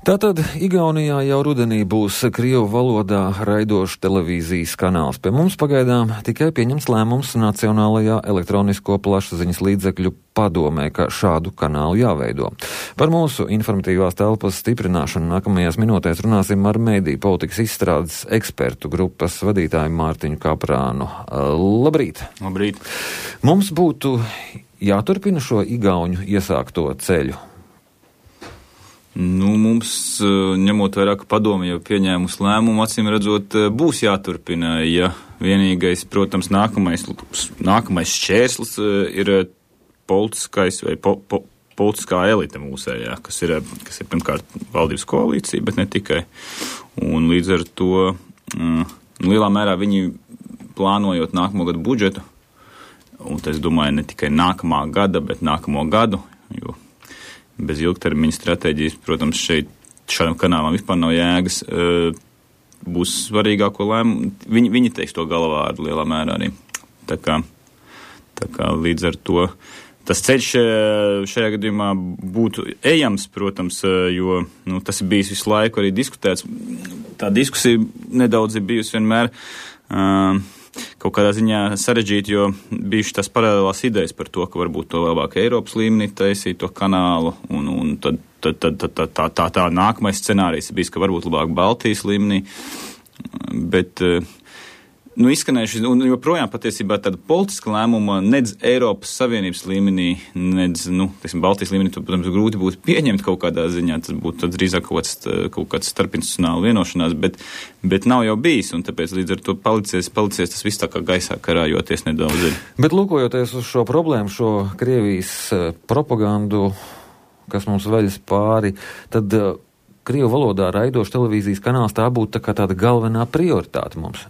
Tātad Igaunijā jau rudenī būs krievu valodā raidošs televīzijas kanāls. Pie mums pagaidām tikai pieņems lēmums Nacionālajā elektronisko plašsaziņas līdzekļu padomē, ka šādu kanālu jāveido. Par mūsu informatīvās telpas stiprināšanu nākamajās minūtēs runāsim ar mediju politikas izstrādes ekspertu grupas vadītāju Mārtiņu Kaprānu. Labrīt! Labrīt! Mums būtu jāturpina šo igauņu iesākto ceļu. Mums, ņemot vairāk padomi, jau pieņēmus lēmumu, acīm redzot, būs jāturpina, ja vienīgais, protams, nākamais šķērslis ir politiskais vai politiskā elite mūsējā, kas ir pirmkārt valdības koalīcija, bet ne tikai. Un līdz ar to lielā mērā viņi plānojot nākamo gadu budžetu, un es domāju, ne tikai nākamā gada, bet nākamo gadu, jo bez ilgtermiņa stratēģijas, protams, šādam kanālam vispār nav jēgas, būs svarīgāko lēmumu. Viņi teiks to galvārdu lielā mērā arī. Tā kā līdz ar to tas ceļš šajā gadījumā būtu ejams, protams, jo tas ir bijis visu laiku arī diskutēts. Tā diskusija nedaudz ir bijusi vienmēr kaut kādā ziņā sarežģīti, jo bijuši tās paralēlās idejas par to, ka varbūt to labāk Eiropas līmenī taisīt to kanālu, un tad tā nākamais scenārijs bijis, ka varbūt labāk Baltijas līmenī, bet izskanējuši, un joprojām patiesībā tāda politiska lēmuma nedz Eiropas Savienības līmenī, nedz, Baltijas līmenī, to, protams, grūti būtu pieņemt kaut kādā ziņā, tas būtu drīzāk kaut kāds starpinstitucionāla vienošanās, bet nav jau bijis, un tāpēc līdz ar to palicies tas viss tā kā gaisā karājoties nedaudz. Bet lūkojoties uz šo problēmu, šo Krievijas propagandu, kas mums veļas pāri, tad Krievu valodā raidošs televīzijas kanāls tā būtu tā kā tāda galvenā prioritāte mums.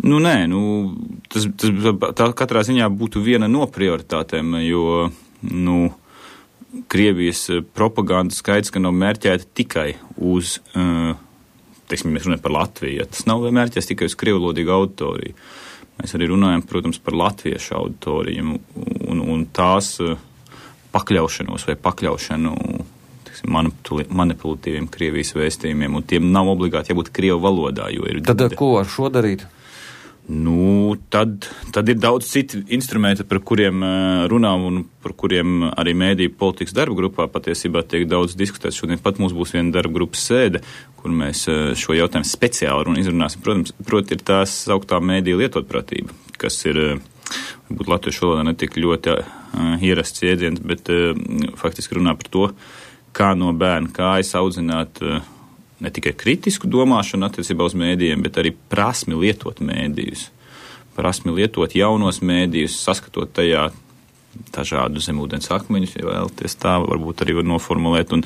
Tā katrā ziņā būtu viena no prioritātēm, jo, Krievijas propaganda skaidrs, ka nav mērķēta tikai uz, mēs runājam par Latviju, tas nav mērķēts tikai uz krievalodīgu auditoriju. Mēs arī runājam, protams, par latviešu auditoriju un tās pakļaušanos vai pakļaušanu manipulatīviem Krievijas vēstījumiem, un tiem nav obligāti jābūt krievu valodā. Tad ko ar šo darīt? Tad ir daudz citu instrumentu, par kuriem runām un par kuriem arī mediju politikas darba grupā patiesībā tiek daudz diskutēts. Šodien pat mums būs viena darba grupas sēde, kur mēs šo jautājumu speciāli izrunāsim. Proti ir tās sauktā mediju lietotprātība, kas ir, varbūt latviešu valodā netik ļoti ierasts jēdziens, bet faktiski runā par to, kā no bērna kājas audzināt ne tikai kritisku domāšanu attiecībā uz mēdījiem, bet arī prasmi lietot mēdījus, prasmi lietot jaunos mēdījus, saskatot tajā dažādu zemūdens akmeņus, ja vēlaties tā, varbūt arī var noformulēt, un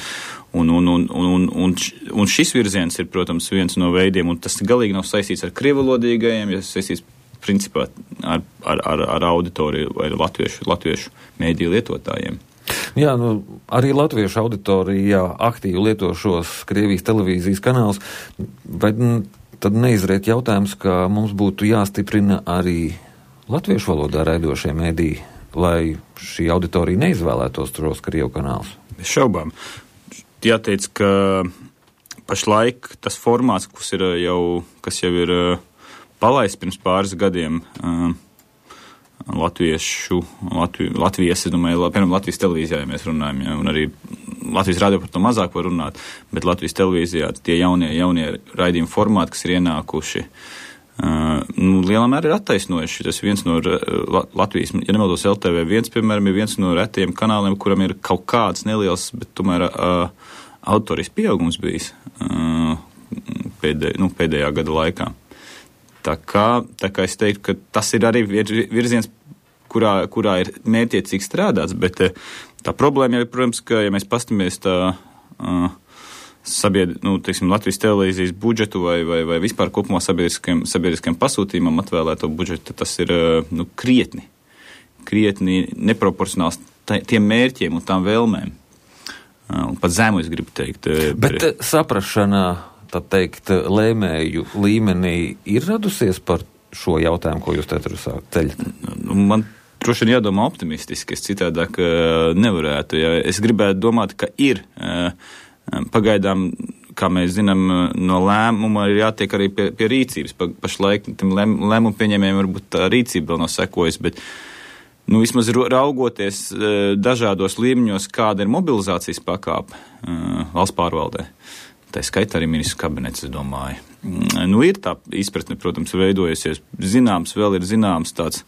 šis virziens ir, protams, viens no veidiem, un tas galīgi nav saistīts ar krievalodīgajiem, ja saistīts principā ar auditoriju vai latviešu mēdīju lietotājiem. Jā, arī latviešu auditorijā aktīvi lieto šos Krievijas televīzijas kanālus, bet tad neizriet jautājums, ka mums būtu jāstiprina arī latviešu valodā raidošie mediji, lai šī auditorija neizvēlētos tos Krievu kanālus. Bez šaubām. Jāteic, ka pašlaik tas formāts, kas jau ir palaists pirms pāris gadiem, Latvijas, es domāju, piemēram, Latvijas televīzijā, ja mēs runājam, ja, un arī Latvijas radio par to mazāk var runāt, bet Latvijas televīzijā tie jaunie raidījumi formāti, kas ir ienākuši, lielā mērā ir attaisnojuši. Tas viens no Latvijas, ja nemaldos LTV1, piemēram, ir viens no retiem kanāliem, kuram ir kaut kāds neliels, bet tomēr autorijas pieaugums bijis pēdējā gada laikā. Tā kā es teiktu, ka tas ir arī virziens, kurā ir mērķiecīgi strādāts, bet tā problēma jau ir, protams, ka, ja mēs pastamies Latvijas televīzijas budžetu vai vispār kopumā sabiedriskajam pasūtījumam atvēlēto budžetu, tas ir krietni neproporcionāls tiem mērķiem un tām vēlmēm. Un pat zemu, es gribu teikt. Bet saprašana, tā teikt, lēmēju līmenī ir radusies par šo jautājumu, ko jūs ceļat? Man droši vien jādomā optimistiski, es citādāk nevarētu. Ja es gribētu domāt, ka ir Pagaidām, kā mēs zinām, no lēmuma ir jātiek arī pie rīcības. Pašlaik tam lēmumu pieņēmējiem varbūt tā rīcība vēl nav sekojas, bet vismaz raugoties dažādos līmeņos, kāda ir mobilizācijas pakāpe valsts pārvaldē. Tā skaitā arī ministru kabinets, es domāju. Ir tā izpratne, protams, veidojusies. Vēl ir zināms tāds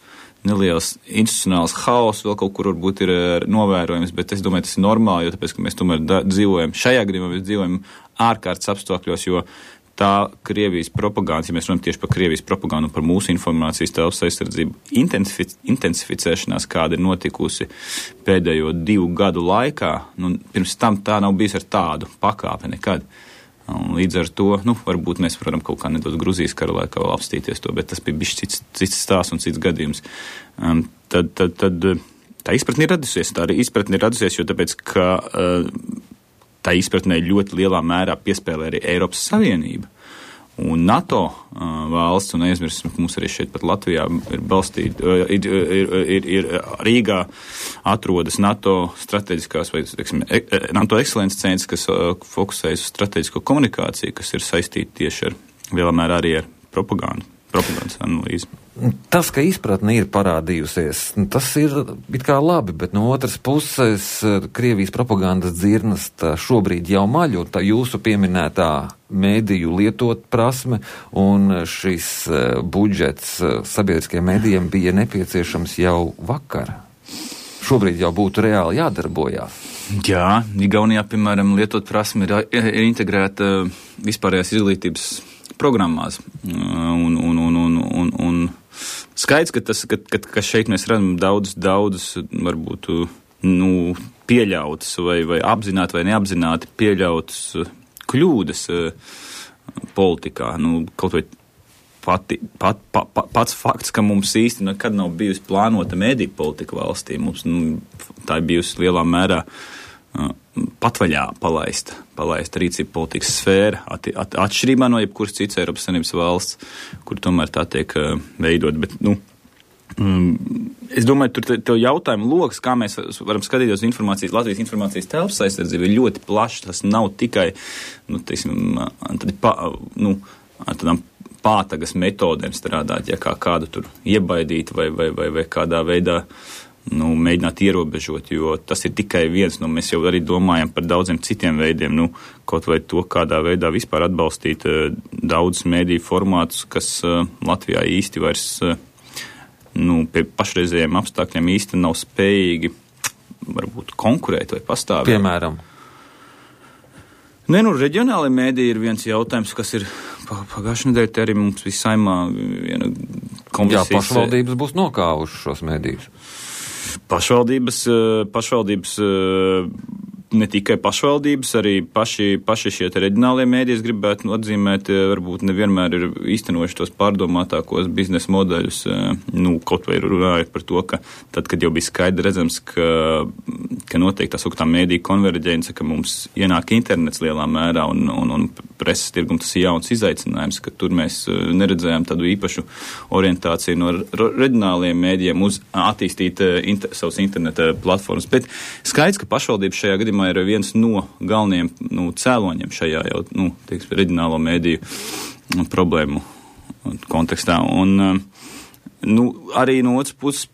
neliels institucionāls haoss, vēl kaut kur varbūt ir novērojams, bet es domāju, tas ir normāli, jo tāpēc, ka mēs tomēr šajā gadījumā mēs dzīvojam ārkārtas apstākļos, jo tā Krievijas propaganda, ja mēs runājam tieši par Krievijas propagandu un par mūsu informācijas telpas aizsardzību intensificēšanās, kāda ir notikusi pēdējo 2 gadu laikā, pirms tam tā nav bijis ar tādu pakāpi nekad. Un līdz ar to, varbūt mēs varam kaut kā nedaudz Gruzijas kara laikā vēl apstīties to, bet tas bija cits stāsts un cits gadījums. Tad tā izpratne ir radusies, jo tāpēc, ka tā izpratnē ļoti lielā mērā piespēlē arī Eiropas Savienība un NATO valsts, un neaizmirsim, ka mums arī šeit pat Latvijā ir balstīta, ir Rīgā atrodas NATO strateģiskās vai, NATO ekscelences centrs, kas fokusējas uz strateģisko komunikāciju, kas ir saistīta tieši ar lielā mērā arī ar propagandas analīzi. Tas, ka izpratne ir parādījusies, tas ir it kā labi, bet no otras puses Krievijas propagandas dzirnas šobrīd jau maļ, un tā jūsu pieminētā mēdīju lietot prasme un šis budžets sabiedriskajiem mēdījiem bija nepieciešams jau vakar. Šobrīd jau būtu reāli jādarbojās. Jā, Igaunijā, piemēram, lietot prasme ir integrēta vispārējās izglītības programmās. Un skaidrs, ka šeit mēs redzam daudz varbūt pieļautas vai apzināti vai neapzināti pieļautas kļūdas politikā. Kaut vai pats fakts, ka mums īsti nekad nav bijusi plānota mediju politika valstī. Mums tā ir bijusi lielā mērā patvaļā palaista rīcība politikas sfēra, atšķirībā no jebkuras cits Eiropas Savienības valsts, kur tomēr tā tiek veidot. Bet, es domāju, tur jautājumu loks, kā mēs varam skatīties Latvijas informācijas telpas aizsardzību, ir ļoti plašs. Tas nav tikai, ar tādām pātagas metodēm strādāt, ja kā kādu tur iebaidīt vai kādā veidā mēģināt ierobežot, jo tas ir tikai viens, mēs jau arī domājam par daudziem citiem veidiem, kaut vai to, kādā veidā vispār atbalstīt daudzus mēdīju formātus, kas Latvijā īsti vairs, pie pašreizējiem apstākļiem īsti nav spējīgi, varbūt konkurēt vai pastāvēt. Piemēram? Reģionālajie mēdīji ir viens jautājums, kas ir pagājušajā nedēļā, te arī mums bija Saeimā viena komisijas. Jā, pašvaldības būs nokāvušas šos mēdījus. Pašvaldības, ne tikai pašvaldības, arī paši šie reģionālie mēdīji, gribētu atzīmēt, varbūt nevienmēr ir īstenojuši tos pārdomātākos biznesa modeļus, kaut vai runājot par to, ka tad, kad jau bija skaidri redzams, ka notiek tā sauktā mēdīju konverģence, ka mums ienāk internets lielā mērā un preses tirgum tas ir jauns izaicinājums, ka tur mēs neredzējām tādu īpašu orientāciju no reģionāliem mēdījiem uz attīstīt savus interneta platformas. Bet skaidrs, ka pašvaldības šajā gadījumā ir viens no galvenajiem cēloņiem šajā jau, reģionālo mēdīju problēmu kontekstā. Un, arī no otras puses,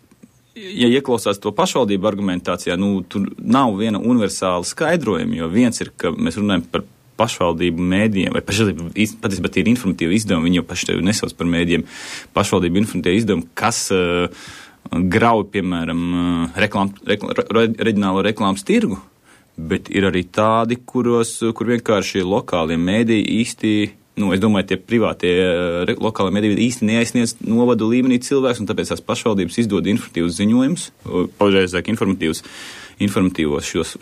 ja ieklausās to pašvaldību argumentācijā, tur nav viena universāla skaidrojuma, jo viens ir, ka mēs runājam par pašvaldību mēdījiem, vai patiesībā tie ir informatīvi izdevumi, viņi jau paši tevi nesauc par mēdījiem, pašvaldību informatīvi izdevumi, kas grauj, piemēram, reģionālo reklāmas tirgu, bet ir arī tādi, kur vienkārši lokālie mēdīji īsti, es domāju, tie privātie lokālie mēdīji īsti neaizsniedz novadu līmenī cilvēks, un tāpēc tās pašvaldības izdod informatīvus ziņojumus, pareizāk informatīvos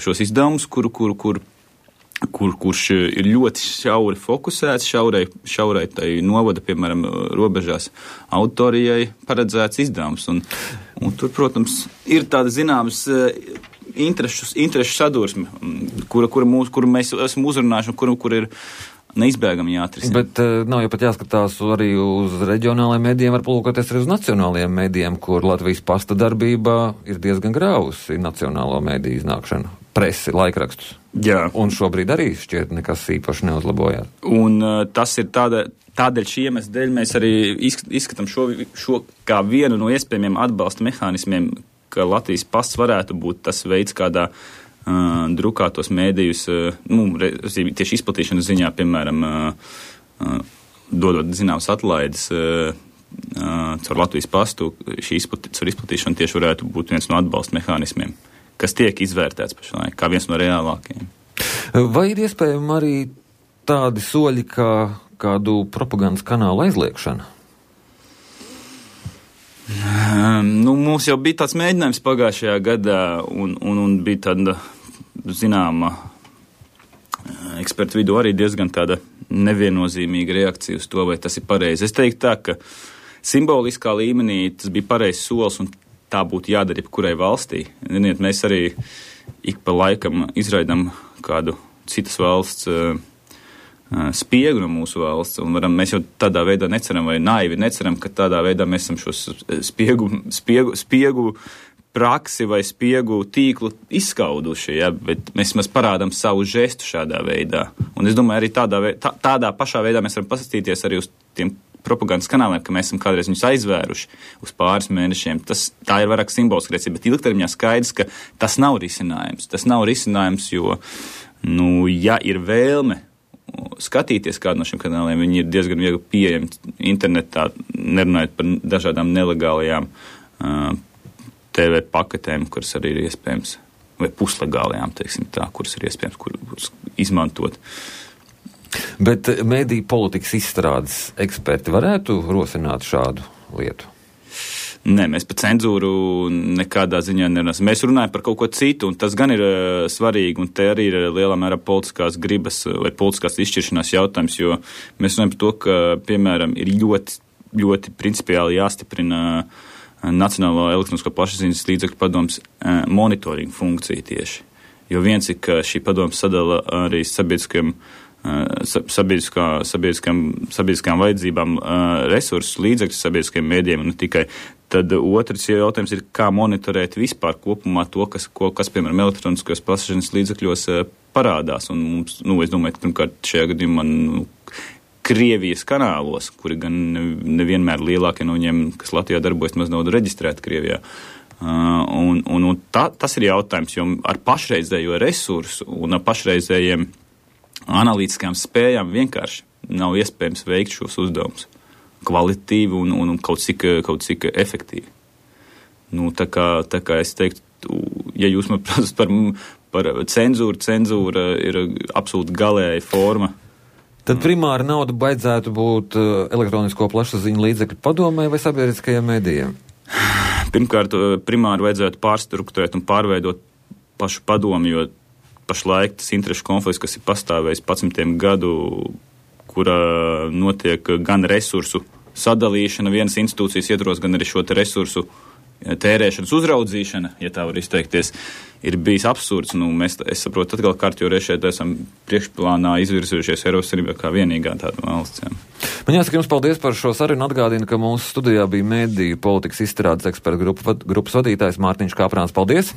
šos izdevumus, kurš ir ļoti šauri fokusēts, šaurai tai novada, piemēram, robežās auditorijai paredzēts izdevums. Un tur, protams, ir tāda zināmas interešu sadursme, kuru mēs esam uzrunājuši un kur ir neizbēgami jāatrisina. Bet nav jau pat jāskatās arī uz reģionālajiem mēdījiem, var palūkoties arī uz nacionālajiem mēdījiem, kur Latvijas pasta darbība ir diezgan grausi nacionālo mēdīju iznākšana. presi, laikrakstus. Jā. Un šobrīd arī šķiet nekas īpaši neuzlabojās. Un tas ir tādēļ šī iemesla dēļ mēs arī izskatām šo kā vienu no iespējamiem atbalsta mehānismiem, ka Latvijas pasts varētu būt tas veids, kādā drukātos mēdījus, tieši izplatīšanas ziņā, piemēram, dodot zināmas atlaides caur Latvijas pastu, caur izplatīšanu tieši varētu būt viens no atbalsta mehānismiem, kas tiek izvērtēts pašlaik kā viens no reālākajiem. Vai ir iespējami arī tādi soļi, kā kādu propagandas kanālu aizliekšana? Mums jau bija tāds mēģinājums pagājušajā gadā, un bija tāda, zināma, ekspertu vidū arī diezgan tāda neviennozīmīga reakcija uz to, vai tas ir pareizi. Es teiktu tā, ka simboliskā līmenī tas bija pareizs solis, un tā būtu jādara jebkurai valstī. Ziniet, mēs arī ik pa laikam izraidam kādu citas valsts spiegu no mūsu valsts, un mēs jau tādā veidā neceram, vai naivi neceram, ka tādā veidā mēs esam šos spiegu praksi vai spiegu tīklu izskauduši, ja, bet mēs parādām savu žestu šādā veidā. Un es domāju, arī tādā pašā veidā mēs varam pasastīties arī uz tiem propagandas kanāliem, ka mēs esam kādreiz viņus aizvēruši uz pāris mēnešiem. Tā ir vairāk simboliska rīcība, bet ilgtermiņā skaidrs, ka tas nav risinājums. Tas nav risinājums, jo, ja ir vēlme skatīties kādu no šiem kanāliem, viņi ir diezgan viegli pieejami internetā, nerunājot par dažādām nelegālajām TV paketēm, kuras arī ir iespējams, vai puslegālajām, teiksim tā, kuras ir iespējams kuras izmantot. Bet mediju politikas izstrādes eksperti varētu rosināt šādu lietu? Nē, mēs par cenzūru nekādā ziņā nerunāsim. Mēs runājam par kaut ko citu, un tas gan ir svarīgi, un te arī ir lielā mērā politiskās gribas vai politiskās izšķiršanās jautājums, jo mēs runājam par to, ka, piemēram, ir ļoti, ļoti principiāli jāstiprina Nacionālo elektronisko plašsaziņas līdzekļu padomes monitoringa funkcija tieši. Jo viens ir, ka šī padome sadala arī sabiedriskām vajadzībām resursus, līdzekļus sabiedriskajiem mēdījiem, un ne tikai. Tad otrs jautājums ir, kā monitorēt vispār kopumā to, kas piemēram, elektroniskos plašsaziņas līdzekļos parādās. Un mums, es domāju, ka pirmkārt šajā gadījumā Krievijas kanālos, kuri gan nevienmēr lielākie no viņiem, kas Latvijā darbojas, maz nav reģistrēti Krievijā. Tas ir jautājums, jo ar pašreizējo resursu un ar pašreizējiem analītiskām spējām vienkārši nav iespējams veikt šos uzdevumus kvalitatīvi un kaut cik efektīvi. Tā kā es teiktu, ja jūs man prasat par cenzūra ir absolūti galēja forma. Tad primāri nauda baidzētu būt elektronisko plašsaziņu līdzekļu padomē vai sabiedriskajiem mēdījiem? Pirmkārt, primāri vajadzētu pārstrukturēt un pārveidot pašu padomu, jo pašlaik tas interešu konflikts, kas ir pastāvējis 11 gadu, kura notiek gan resursu sadalīšana vienas institūcijas ietvaros, gan arī šo te resursu tērēšanas uzraudzīšana, ja tā var izteikties, ir bijis absurds. Es saprotu, atkal kārtīgi reiz šeit esam priekšplānā izvirzījušies Eiropas Savienībā kā vienīgā tāda valsts. Jā. Man jāsaka jums paldies par šo sarunu. Atgādinu, ka mūsu studijā bija mediju politikas izstrādes ekspertu grupas vadītājs Mārtiņš Kāprāns. Paldies!